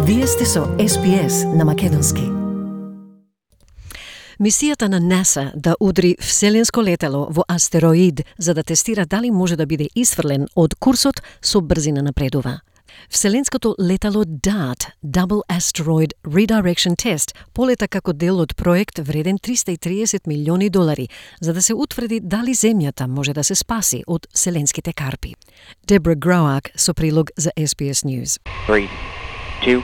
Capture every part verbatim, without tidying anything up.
Вие сте со Ес Би Ес на македонски. Мисијата на НАСА да удри вселенско летало во астероид за да тестира дали може да биде исфрлен од курсот со брзина напредува. Вселенското летало ди А Т, Double Asteroid Redirection Test, полета како дел од проект вреден триста и триесет милиони долари, за да се утврди дали Земјата може да се спаси од вселенските карпи. Дебра Гроак со прилог за Ес Би Ес News. three, two,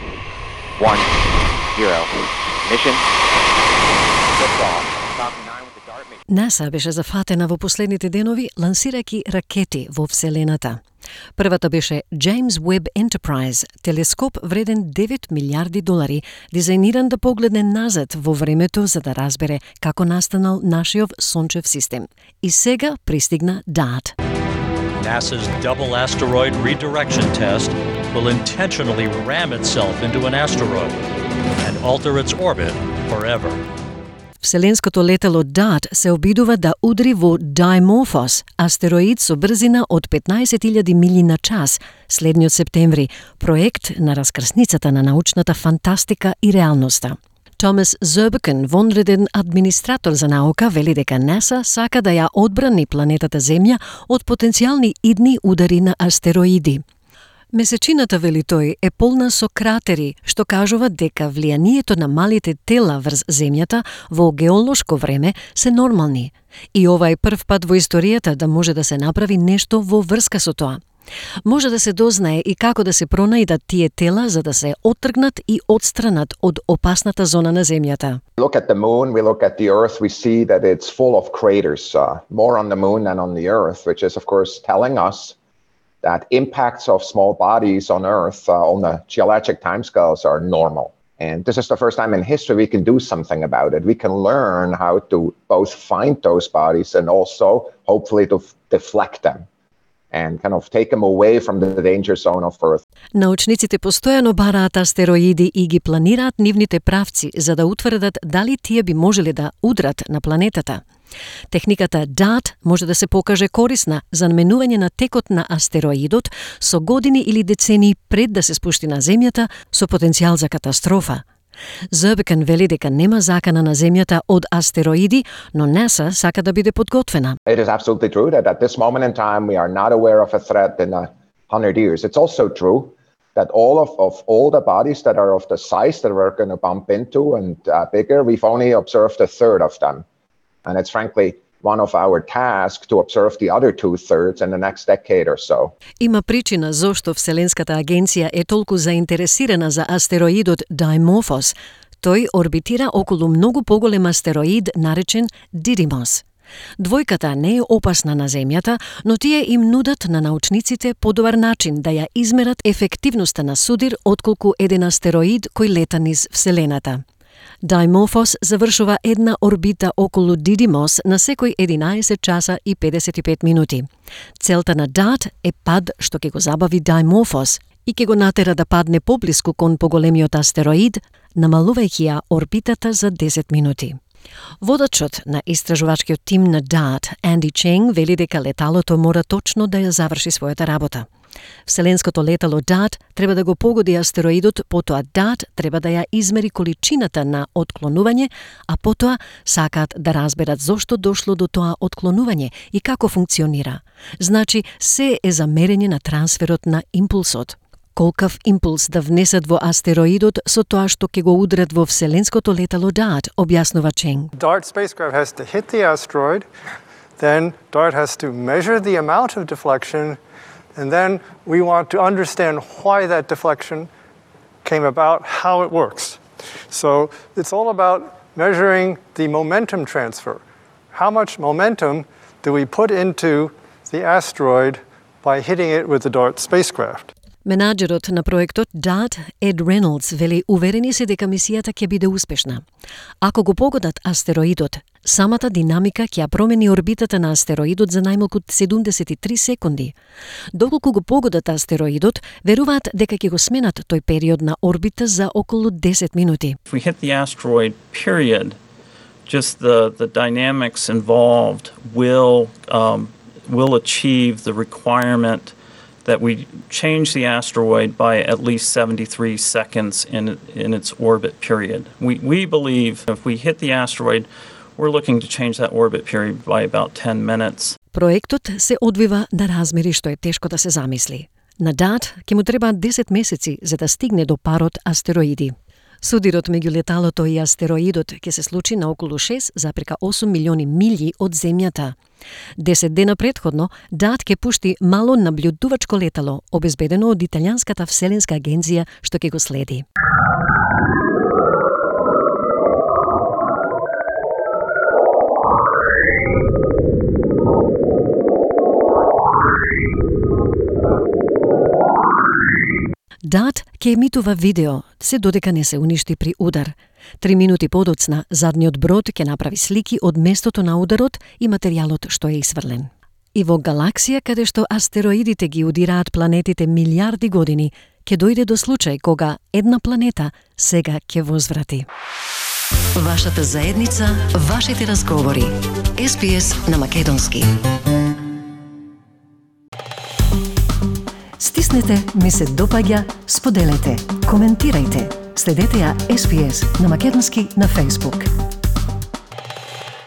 one, zero. Mission. НАСА беше зафатена во последните денови лансирајќи ракети во Вселената. Првата беше James Webb Enterprise, телескоп вреден девет милиарди долари, дизајниран да погледне назад во времето за да разбере како настанал нашиот сончев систем. И сега пристигна ди А Т. NASA's Double Asteroid Redirection Test will intentionally ram itself into an asteroid and alter its orbit forever. Вселенското летало ди А Т се обидува да удри во Дайморфос, астероид со брзина од петнаесет илјади милји на час, следниот септември, проект на раскрсницата на научната фантастика и реалноста. Томас Зербакен, вонреден администратор за наука, вели дека НАСА сака да ја одбрани планетата Земја од потенцијални идни удари на астероиди. Месечината, вели тој, е полна со кратери, што кажуваат дека влијанието на малите тела врз Земјата во геолошко време се нормални. И ова е прв пат во историјата да може да се направи нешто во врска со тоа. Може да се дознае и како да се пронајдат тие тела за да се оттргнат и отстранат од опасната зона на Земјата. Look at the moon, we look at the earth, we see that it's full of craters, uh, more on the moon than on the earth, which is of course telling us that impacts of small bodies on Earth uh, on the geologic timescales are normal. And this is the first time in history we can do something about it. We can learn how to both find those bodies and also hopefully to f- deflect them and kind of take them away from the danger zone of Earth. Научниците постојано бараат астероиди и ги планираат нивните правци за да утврдат дали тие би можеле да удрат на планетата. Техниката ди А Т може да се покаже корисна за наменување на текот на астероидот со години или децении пред да се спушти на Земјата со потенцијал за катастрофа. Зербакен вели дека нема закана на Земјата од астероиди, но НАСА сака да биде подготвена. It is absolutely true that at this moment in time we are not aware of a threat in a hundred years. It's also true that all of, of all the bodies that are of the size that we're going to bump into and uh, bigger, we've only observed a third of them. And it's frankly one of our tasks to observe the other two-thirds in the next decade or so. Има причина зошто Вселенската агенција е толку заинтересирана за астероидот Дайморфос. Тој орбитира околу многу поголем астероид наречен Дидимос. Двојката не е опасна на Земјата, но тие им нудат на научниците подобар начин да ја измерат ефективноста на судир отколку еден астероид кој лета низ Вселената. Дайморфос завршува една орбита околу Дидимос на секој единаесет часа и педесет и пет минути. Целта на ди А Т е пад што ќе го забави Дайморфос и ќе го натера да падне поблиску кон поголемиот астероид, намалувајќи ја орбитата за десет минути. Водачот на истражувачкиот тим на ди А Т, Анди Ченг, вели дека леталото мора точно да ја заврши својата работа. Вселенското летало ди А Т треба да го погоди астероидот, потоа ди А Т треба да ја измери количината на отклонување, а потоа сакаат да разберат зошто дошло до тоа отклонување и како функционира. Значи, се е за мерење на трансферот на импулсот. Колкав импулс да внесат во астероидот со тоа што ќе го удрат во вселенското летало ди А Т, објаснува Ченг. D A R T spacecraft has to hit the asteroid, then D A R T has to measure the amount of deflection, and then we want to understand why that deflection came about, how it works. So it's all about measuring the momentum transfer. How much momentum do we put into the asteroid by hitting it with the D A R T spacecraft? Менаџерот на проектот ди А Т, Ед Реналдс, вели уверени се дека мисијата ќе биде успешна. Ако го погодат астероидот, самата динамика ќе ја промени орбитата на астероидот за најмалку седумдесет и три секунди. Доколку го погодат астероидот, веруваат дека ќе го сменат тој период на орбита за околу десет минути. If we hit the asteroid, period, just the, the dynamics involved will, um, will achieve the requirement that we change the asteroid by at least seventy-three seconds in in its orbit period. We we believe if we hit the asteroid, we're looking to change that orbit period by about ten minutes. Проектот се одвива на размери што е тешко да се замисли. На Дат ќе му требаат десет месеци за да стигне до парот астероиди. Судирот меѓу леталото и астероидот ќе се случи на околу шест зарез осум милиони милји од Земјата. Десет дена претходно, Дат ќе пушти мало наблюдувачко летало, обезбедено од Италијанската вселенска агенција, што ќе го следи. Дат ќе емитува видео, се додека не се уништи при удар. Три минути подоцна, задниот брод ќе направи слики од местото на ударот и материјалот што е исврлен. И во галаксија каде што астероидите ги удираат планетите милиарди години, ќе дојде до случај кога една планета сега ќе возврати. Вашата заедница, вашите разговори. Ес Би Ес на македонски. Стиснете, ми се допаѓа, споделете, коментирајте. Следете ја Ес Би Ес на македонски на Facebook.